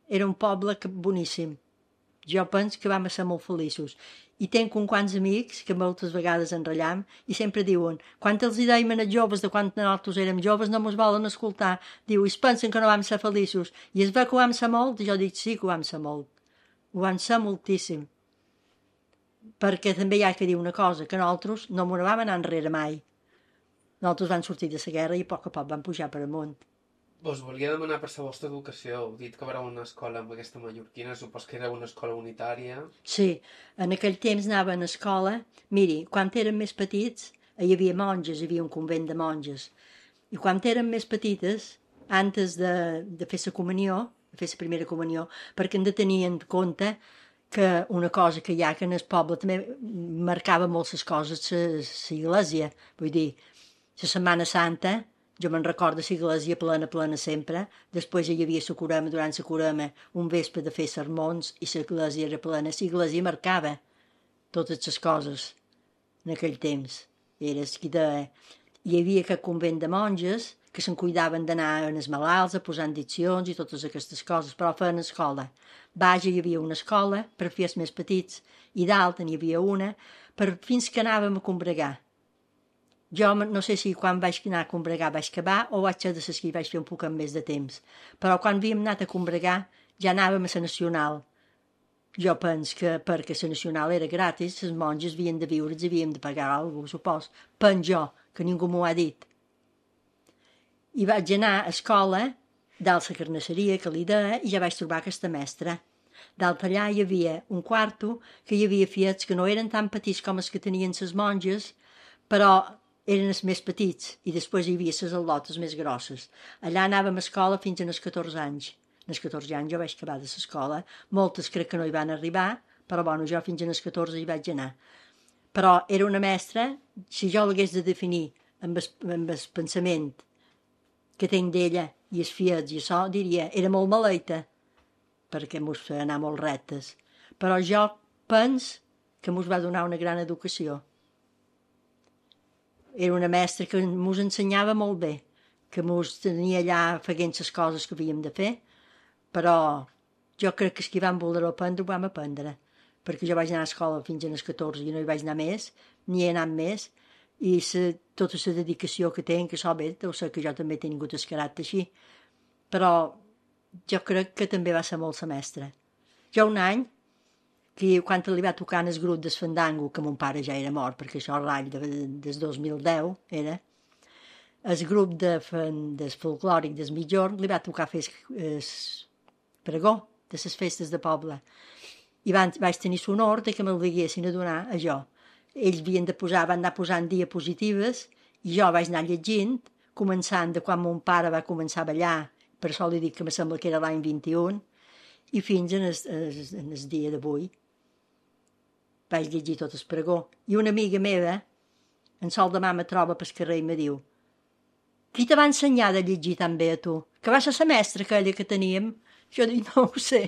era un poble que, boníssim. Jo penso que vam ser molt feliços. I tenc uns quants amics que moltes vegades enratllam i sempre diuen: quan els dèiem als joves de quan nosaltres érem joves no ens volen escoltar. Diu, i es pensen que no vam ser feliços. I es ve que ho vam ser molt? I jo dic, sí que ho vam ser molt. Ho vam ser moltíssim. Perquè també hi ha que dir una cosa, que nosaltres no m'ho vam anar enrere mai. Nosaltres vam sortir de la guerra i a poc a poc vam pujar per amunt. Us volia demanar per la vostra educació. Heu dit que vareu una escola amb aquesta mallorquina, supos que era una escola unitària. Sí, en aquell temps anava a escola. Miri, quan érem més petits hi havia monges, hi havia un convent de monges. I quan érem més petites, antes de, de fer la comunió, de fer la primera comunió, perquè hem de tenir en compte que una cosa que hi ha que en el poble també marcava molt les coses l'església. Vull dir, la Setmana Santa, jo me'n recordo l'església plena, plena sempre. Després hi havia la curema, durant la curema, un vespre de fer sermons i l'església era plena. L'església marcava totes les coses en aquell temps. Era qui de... Hi havia aquest convent de monges que se'n cuidaven d'anar als malalts, a posar diccions i totes aquestes coses, però feien escola. Baix hi havia una escola per fer els més petits i dalt n'hi havia una per fins que anàvem a combregar. Jo no sé si quan vaig anar a combregar vaig acabar o vaig ser de les que hi vaig fer un poc més de temps, però quan havíem anat a combregar ja anàvem a la nacional. Jo penso que perquè la nacional era gratis, les monges havien de viure, els havíem de pagar alguna cosa, supos. Penso jo, que ningú m'ho ha dit. I vaig anar a escola, dalt la carnisseria que li deia, i ja vaig trobar aquesta mestra. Dalt allà hi havia un quarto que hi havia fiets que no eren tan petits com els que tenien les monges, però eren els més petits, i després hi havia les al·lotes més grosses. Allà anàvem a escola fins als catorze anys. Als catorze anys jo vaig acabar de l'escola, moltes crec que no hi van arribar, però bueno, jo fins als catorze hi vaig anar. Però era una mestra, si jo l'hagués de definir amb el, amb el pensament que tenc d'ella i els fiets i això, diria, era molt maleita, perquè mos feia anar molt rectes. Però jo penso que mos va donar una gran educació. Era una mestra que mos ensenyava molt bé, que mos tenia allà fent les coses que havíem de fer, però jo crec que els que vam voler aprendre ho vam aprendre, perquè jo vaig anar a escola fins als catorze i no hi vaig anar més, ni he anat més, i sa, tota la dedicació que tenc, que això bé, deu ser que jo també he tingut el caràcter així, però jo crec que també va ser molt la mestra. Jo un any, que quan li va tocar en el grup del Fandango, que mon pare ja era mort, perquè això l'any de, des dos mil deu era, el grup de, del folclòric del Migjorn li va tocar fer el pregó de les festes de poble. I van, vaig tenir l'honor que me'l diguessin a donar a jo. Ells havien de posar, van anar posant diapositives i jo vaig anar llegint, començant de quan mon pare va començar a ballar, per això li dic que me sembla que era l'any vint-i-un, i fins en el, en el dia d'avui. Vaig llegir tot el pregó. I una amiga meva, en sol demà me troba pel carrer i me diu: qui te va ensenyar de llegir tan bé a tu? Que va ser la mestra aquella que teníem? Jo dic, no ho sé,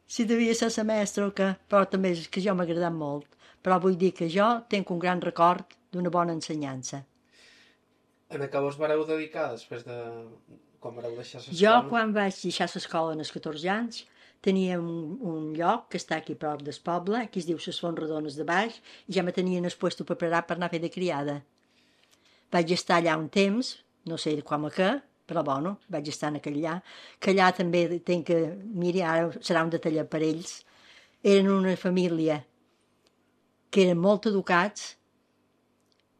si devia ser la mestra o què, però també és que jo m'ha agradat molt. Però vull dir que jo tenc un gran record d'una bona ensenyança. En què vos vareu dedicar després de... quan vareu deixar l'escola? Jo, quan vaig deixar l'escola als catorze anys, tenia un, un lloc que està aquí prop del poble, que es diu les Fontrodones de Baix, i ja me tenien el puesto preparat per anar a fer de criada. Vaig estar allà un temps, no sé com a què, però bueno, vaig estar en aquell allà, que allà també tenc que, miri, ara serà un detall per ells, eren una família que eren molt educats,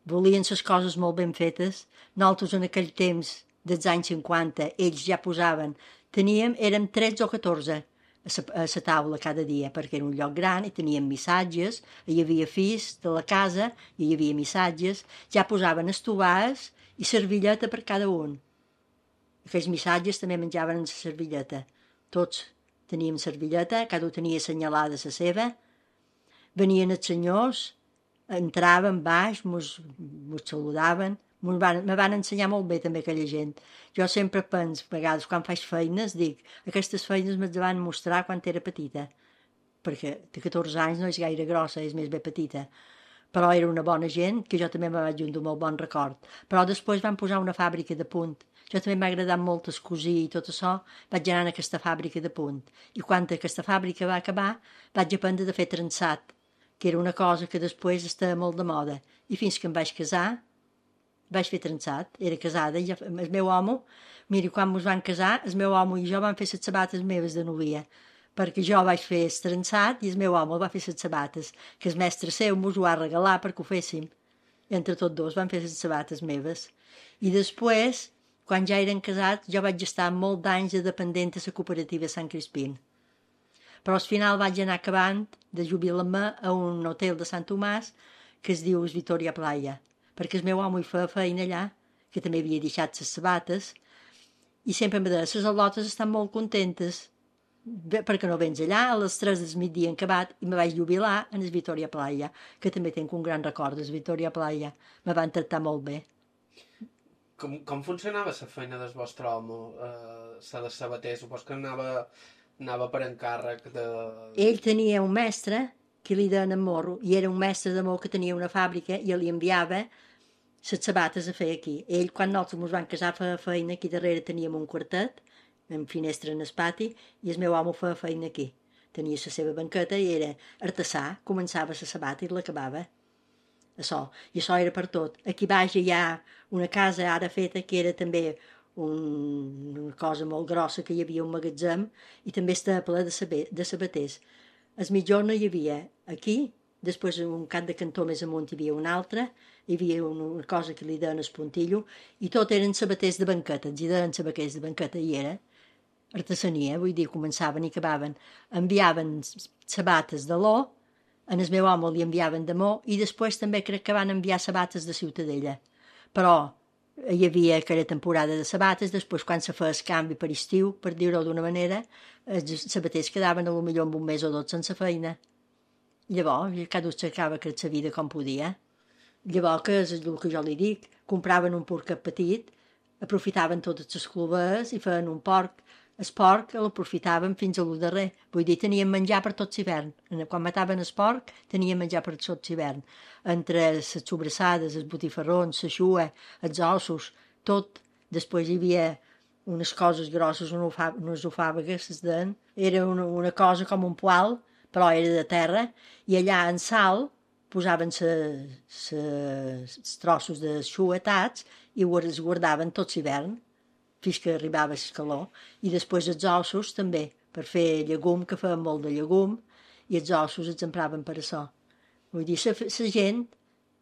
volien les coses molt ben fetes, nosaltres en aquell temps, dels anys cinquanta, ells ja posaven, teníem, érem tretze o catorze a la taula cada dia, perquè era un lloc gran i teníem missatges, hi havia fills de la casa, i hi havia missatges, ja posaven estovars i servilleta per cada un. Aquells missatges també menjaven en la servilleta. Tots teníem servilleta, cada un tenia assenyalada la seva. Venien els senyors, entraven baix, mos, mos saludaven, mos van, me van ensenyar molt bé també aquella gent. Jo sempre penso, a vegades quan faig feines, dic, aquestes feines me'ls van mostrar quan era petita, perquè de catorze anys no és gaire grossa, és més bé petita. Però era una bona gent, que jo també me vaig un molt bon record. Però després van posar una fàbrica de punt. Jo també m'ha agradat molt el cosir i tot això, vaig anar a aquesta fàbrica de punt. I quan aquesta fàbrica va acabar, vaig aprendre de fer trençat, que era una cosa que després estava molt de moda. I fins que em vaig casar, vaig fer trençat, era casada, i ja, el meu home, miri, quan ens van casar, el meu home i jo vam fer les sabates meves de novia, perquè jo vaig fer el trençat i el meu home va fer les sabates, que el mestre seu mos ho va regalar perquè ho féssim. Entre tots dos van fer les sabates meves. I després, quan ja eren casats, jo vaig estar molt d'anys de dependent a la cooperativa Sant Crispín. Però al final vaig anar acabant de jubilar-me a un hotel de Sant Tomàs que es diu Victoria Playa, perquè el meu home hi feia feina allà, que també havia deixat les sabates, i sempre em deia, les al·lotes estan molt contentes, perquè no vens allà, a les tres del migdia han acabat, i me vaig jubilar en el Victoria Playa, que també tinc un gran record del Victoria Playa. Me van tractar molt bé. Com, com funcionava la feina del vostre home, eh, la de sabater? Supos que anava, anava per encàrrec de... Ell tenia un mestre que li deien en Morro, i era un mestre de Morro que tenia una fàbrica i li enviava les sabates a fer aquí. Ell, quan nosaltres ens vam casar, feia feina, aquí darrere teníem un quartet, amb finestra en el pati, i el meu home feia feina aquí. Tenia la seva banqueta i era artesà, començava la sabata i l'acabava. Això, i això era per tot. Aquí baix hi ha una casa ara feta que era també un, una cosa molt grossa, que hi havia un magatzem, i també estava ple de, saber, de sabaters. El mitjorn hi havia aquí, després un cap de cantó més amunt hi havia un altre, hi havia una cosa que li deien el puntillo, i tot eren sabaters de banqueta, els hi deien sabaters de banqueta, i era artesania, vull dir, començaven i acabaven. Enviaven sabates de l'O, en el meu home li enviaven de Mo, i després també crec que van enviar sabates de Ciutadella. Però hi havia aquella temporada de sabates, després quan se feia el canvi per estiu, per dir-ho d'una manera, els sabaters quedaven a lo millor amb un mes o dos sense feina. Llavors, cada un cercava que la vida com podia. Llavors, que és el que jo li dic, compraven un porquet petit, aprofitaven totes les clovers i feien un porc. El porc l'aprofitaven fins a lo darrer. Vull dir, tenien menjar per tot l'hivern. Quan mataven el porc, tenien menjar per tot l'hivern. Entre les sobrassades, els botifarrons, la xua, els ossos, tot. Després hi havia unes coses grosses, unes ofàvegues, es deien. Era una, una cosa com un poal, però era de terra, i allà en sal posaven els trossos de xua atats i els guardaven tot l'hivern, fins que arribava el calor, i després els ossos també, per fer llegum, que feien molt de llegum, i els ossos els empraven per això. Vull dir, la gent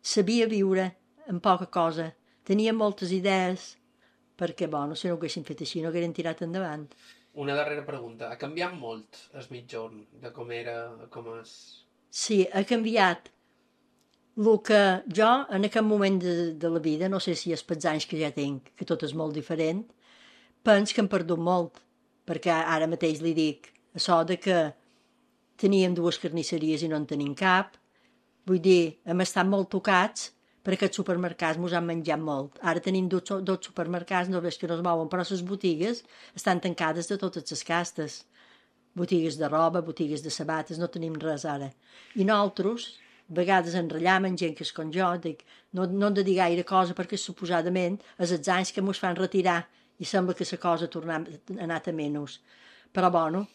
sabia viure amb poca cosa, tenia moltes idees, perquè, bueno, si no ho haguessin fet així, no haguessin tirat endavant. Una darrera pregunta. Ha canviat molt el mitjorn, de com era, com és? Sí, ha canviat. El que jo, en aquest moment de, de la vida, no sé si és pels anys que ja tinc, que tot és molt diferent, penso que hem perdut molt, perquè ara mateix li dic això de que teníem dues carnisseries i no en tenim cap. Vull dir, hem estat molt tocats perquè els supermercats ens han menjat molt. Ara tenim dos, dos supermercats, no veus que no es mouen, però les botigues estan tancades de totes les castes. Botigues de roba, botigues de sabates, no tenim res ara. I nosaltres, a vegades enrallamen gent que és com jo, dic, no, no hem de dir gaire cosa perquè suposadament és els anys que ens fan retirar i sembla que la cosa ha anat a menys. Però, bueno,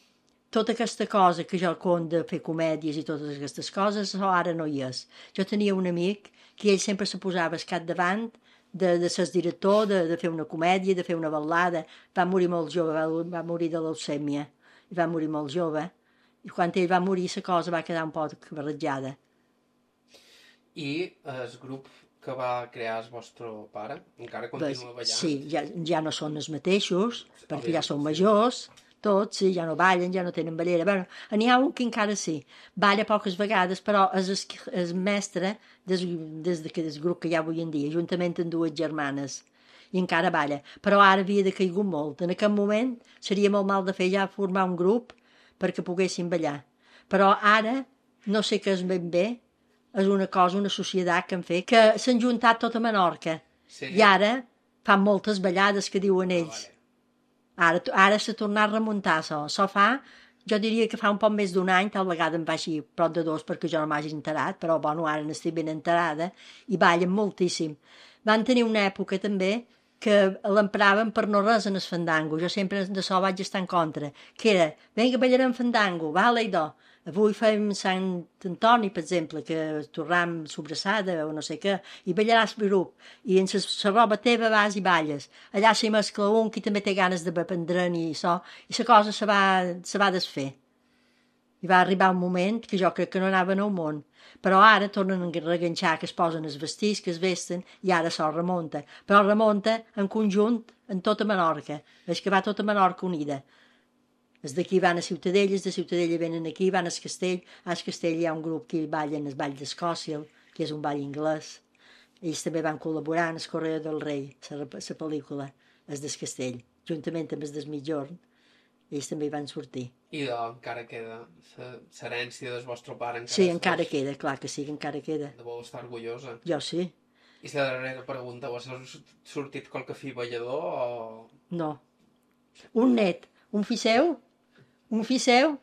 tota aquesta cosa que jo conto de fer comèdies i totes aquestes coses, això ara no hi és. Jo tenia un amic que ell sempre se posava al capdavant de, de ser director, de, de fer una comèdia, de fer una ballada. Va morir molt jove, va, va morir de leucèmia, i va morir molt jove. I quan ell va morir, la cosa va quedar un poc barrejada. I el grup que va crear el vostre pare encara continua ballant? Sí, ja, ja no són els mateixos, perquè ja són majors, tots, sí, ja no ballen, ja no tenen ballera. Bé, n'hi ha un que encara sí, balla poques vegades, però és el, el mestre des, des de, del grup que hi ha avui en dia, juntament amb dues germanes, i encara balla. Però ara havia decaigut molt. En aquest moment seria molt mal de fer ja formar un grup perquè poguessin ballar. Però ara, no sé què és ben bé, és una cosa, una societat que han fet, que s'han juntat tota Menorca. Sí. I ara fan moltes ballades que diuen ells. Ah, vale. Ara, ara s'ha tornat a remuntar això. Això fa, jo diria que fa un poc més d'un any, tal vegada em faci prop de dos perquè jo no m'hagi enterat, però bueno, ara n'estic ben enterada, i ballen moltíssim. Van tenir una època també que l'empraven per no res en el fandango. Jo sempre d'això vaig estar en contra, que era, vinga, ballarem fandango, vale, i do. Avui fem Sant Antoni, per exemple, que tornem sobrassada o no sé què, i ballaràs grup, i en la roba teva vas i balles. Allà s'hi mescla un que també té ganes de prendre'n i això, i la cosa se va, se va desfer. I va arribar un moment que jo crec que no anaven al món, però ara tornen a reganxar, que es posen els vestits, que es vesten, i ara això remunta. Però remunta en conjunt en tota Menorca, és que va tota Menorca unida. Els d'aquí van a Ciutadella, els de Ciutadella venen aquí, van al Castell. Al Castell hi ha un grup que ballen el Ball d'Escòcia, que és un ball anglès. Ells també van col·laborar en el Correo del Rei, la pel·lícula, els del Castell, juntament amb els del Mitjorn. Ells també hi van sortir. I de, encara queda l'herència del vostre pare? Encara sí, encara vos... queda, clar que sí, encara queda. Deveu estar orgullosa. Jo sí. I la darrera pregunta, has sortit qualque fill ballador o...? No. Un net, un fill seu, un fill seu,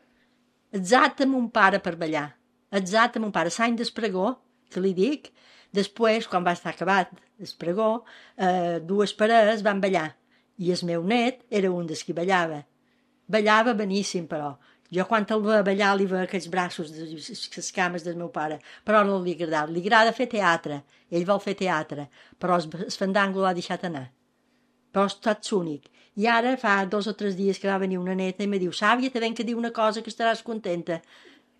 exacte mon pare per ballar. Exacte mon pare. L'any d'espregó, que li dic, després, quan va estar acabat l'espregó, eh, dues parelles van ballar. I el meu net era un dels qui ballava. Ballava beníssim, però. Jo quan el veia ballar li veia aquells braços, les cames del meu pare, però no li agrada. Li agrada fer teatre. Ell vol fer teatre, però el fandango l'ha deixat anar. Però és tot únic. I ara fa dos o tres dies que va venir una neta i me diu, Sàvia, te venc a dir una cosa que estaràs contenta.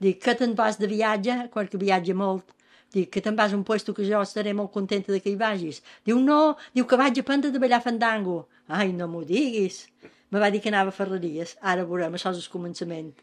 Dic, que te'n vas de viatge, quan que viatja molt. Dic, que te'n vas a un puesto que jo estaré molt contenta de que hi vagis. Diu, no, diu que vaig a aprendre de ballar fandango. Ai, no m'ho diguis. Me va dir que anava a Ferreries. Ara veurem, això és el començament.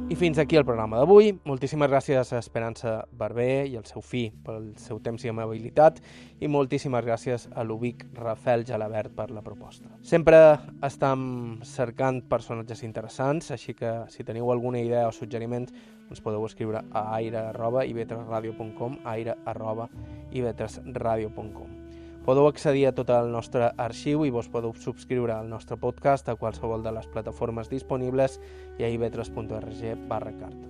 I fins aquí el programa d'avui. Moltíssimes gràcies a Esperança Barber i al seu fill pel seu temps i amabilitat i moltíssimes gràcies a l'Ubic Rafael Gelabert per la proposta. Sempre estem cercant personatges interessants, així que si teniu alguna idea o suggeriments ens podeu escriure a aire arroba i ve tres radio punt com, aire arroba i ve tres radio punt com. Podeu accedir a tot el nostre arxiu i vos podeu subscriure al nostre podcast a qualsevol de les plataformes disponibles i a i ve tres punt org barra carta.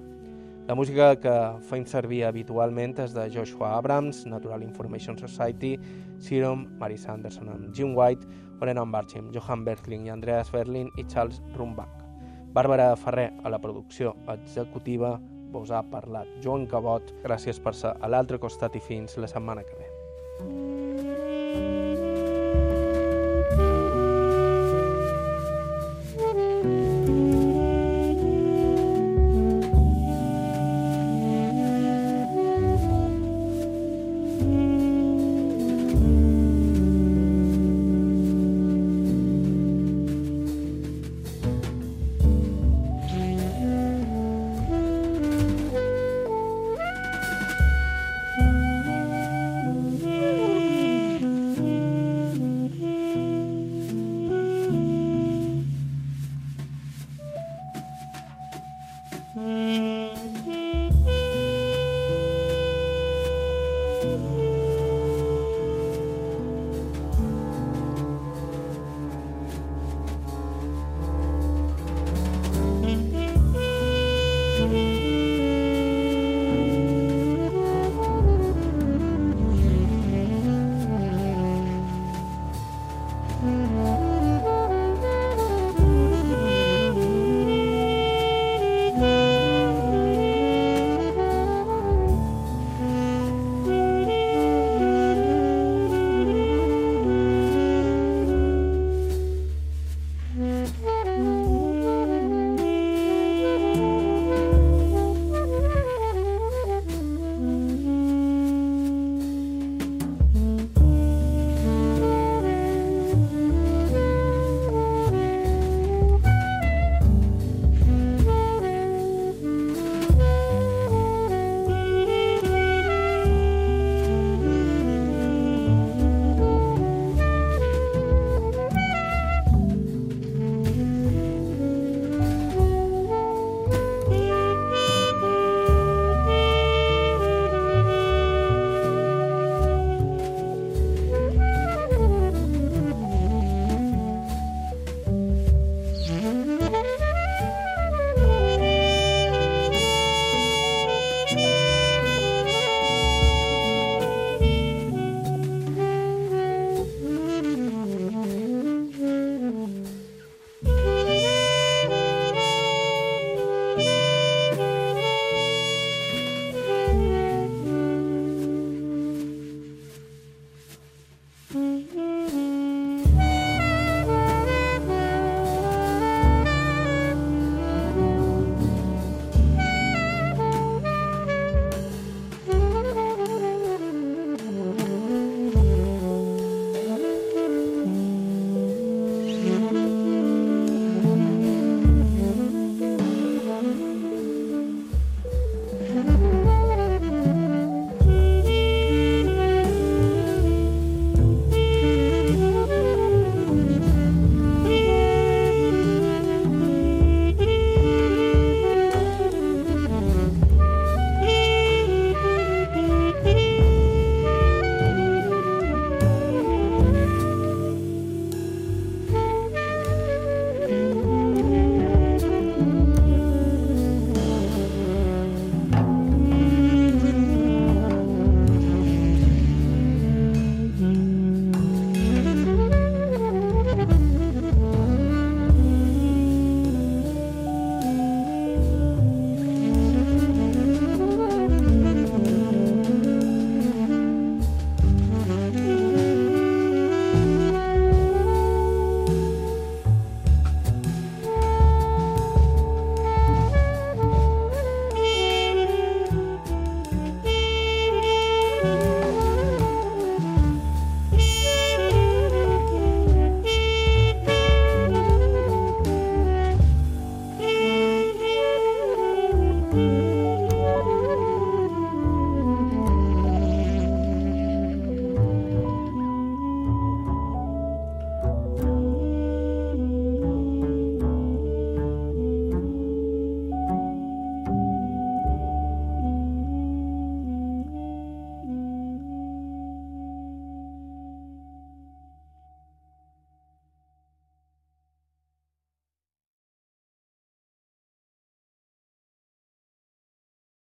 La música que feim servir habitualment és de Joshua Abrams, Natural Information Society, Serum, Mary Sanderson amb Jim White, Orenon Barchim, Johan Berthling i Andreas Berlin i Charles Rumbach. Bàrbara Ferrer a la producció executiva, vos ha parlat Joan Cabot. Gràcies per ser a l'altre costat i fins la setmana que ve. Mm-hmm.